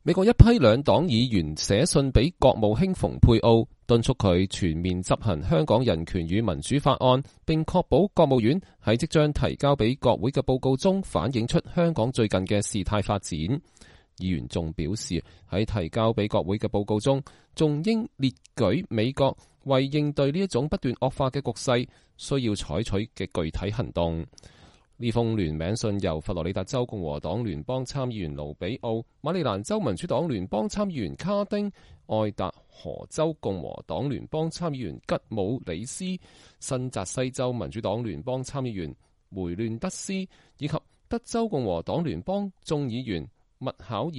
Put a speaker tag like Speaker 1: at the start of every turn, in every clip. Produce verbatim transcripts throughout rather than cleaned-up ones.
Speaker 1: 美國一批兩黨議員寫信俾國務卿蓬佩奧，敦促佢全面執行香港人權與民主法案，並確保國務院喺即將提交俾國會嘅報告中反映出香港最近嘅事態發展。議員仲表示，喺提交俾國會嘅報告中，仲應列舉美國為應對呢一種不斷惡化嘅局勢需要採取嘅具體行動。呢封聯名信由佛羅里達州共和黨聯邦參議員盧比奧、馬里蘭州民主黨聯邦參議員卡丁、愛達荷州共和黨聯邦參議員吉姆里斯、新澤西州民主黨聯邦參議員梅亂德斯以及德州共和黨聯邦眾議員麥考爾、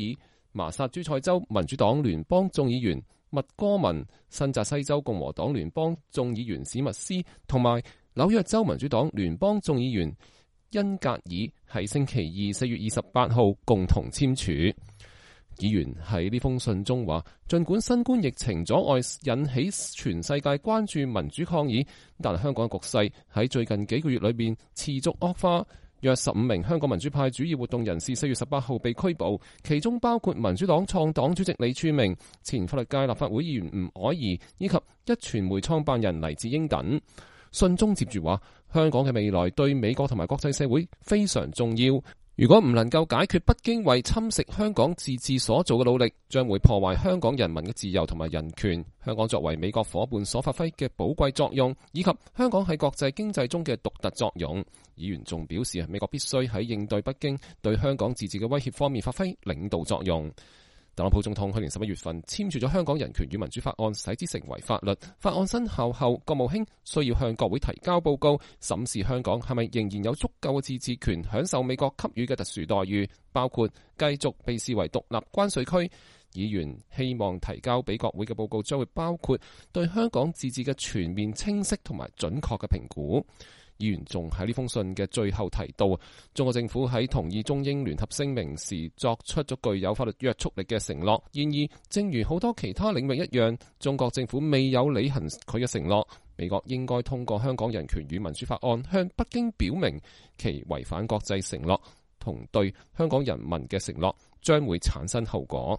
Speaker 1: 麻薩諸塞州民主黨聯邦眾議員麥哥文、新澤西州共和黨聯邦眾議員史密斯同埋紐約州民主黨聯邦眾議員恩格爾喺星期二四月二十八號共同簽署。議員喺呢封信中話，盡管新冠疫情阻礙引起全世界關注民主抗議，但香港局勢喺最近幾個月裏面持續惡化。約十五名香港民主派主要活動人士四月十八號被拘捕，其中包括民主黨創黨主席李柱銘、前法律界立法會議員吳靄儀以及一傳媒創辦人黎智英等。信中接住話，香港嘅未來對美國同埋國際社會非常重要。如果唔能夠解決北京為侵蝕香港自治所做嘅努力，將會破壞香港人民嘅自由同埋人權。香港作為美國夥伴所發揮嘅寶貴作用，以及香港喺國際經濟中嘅獨特作用。議員仲表示，美國必須喺應對北京對香港自治嘅威脅方面發揮領導作用。特朗普總統去年十一月份簽署咗《香港人權與民主法案》，使之成為法律。法案生效後，國務卿需要向國會提交報告，審視香港係咪仍然有足夠嘅自治權，享受美國給予嘅特殊待遇，包括繼續被視為獨立關稅區。議員希望提交俾國會嘅報告將會包括對香港自治嘅全面、清晰同埋準確嘅評估。議員仲喺呢封信嘅最後提到，中國政府喺同意中英聯合聲明時作出咗具有法律約束力嘅承諾。然而，正如好多其他領域一樣，中國政府未有履行佢嘅承諾。美國應該通過《香港人權與民主法案》向北京表明其違反國際承諾同對香港人民嘅承諾將會產生後果。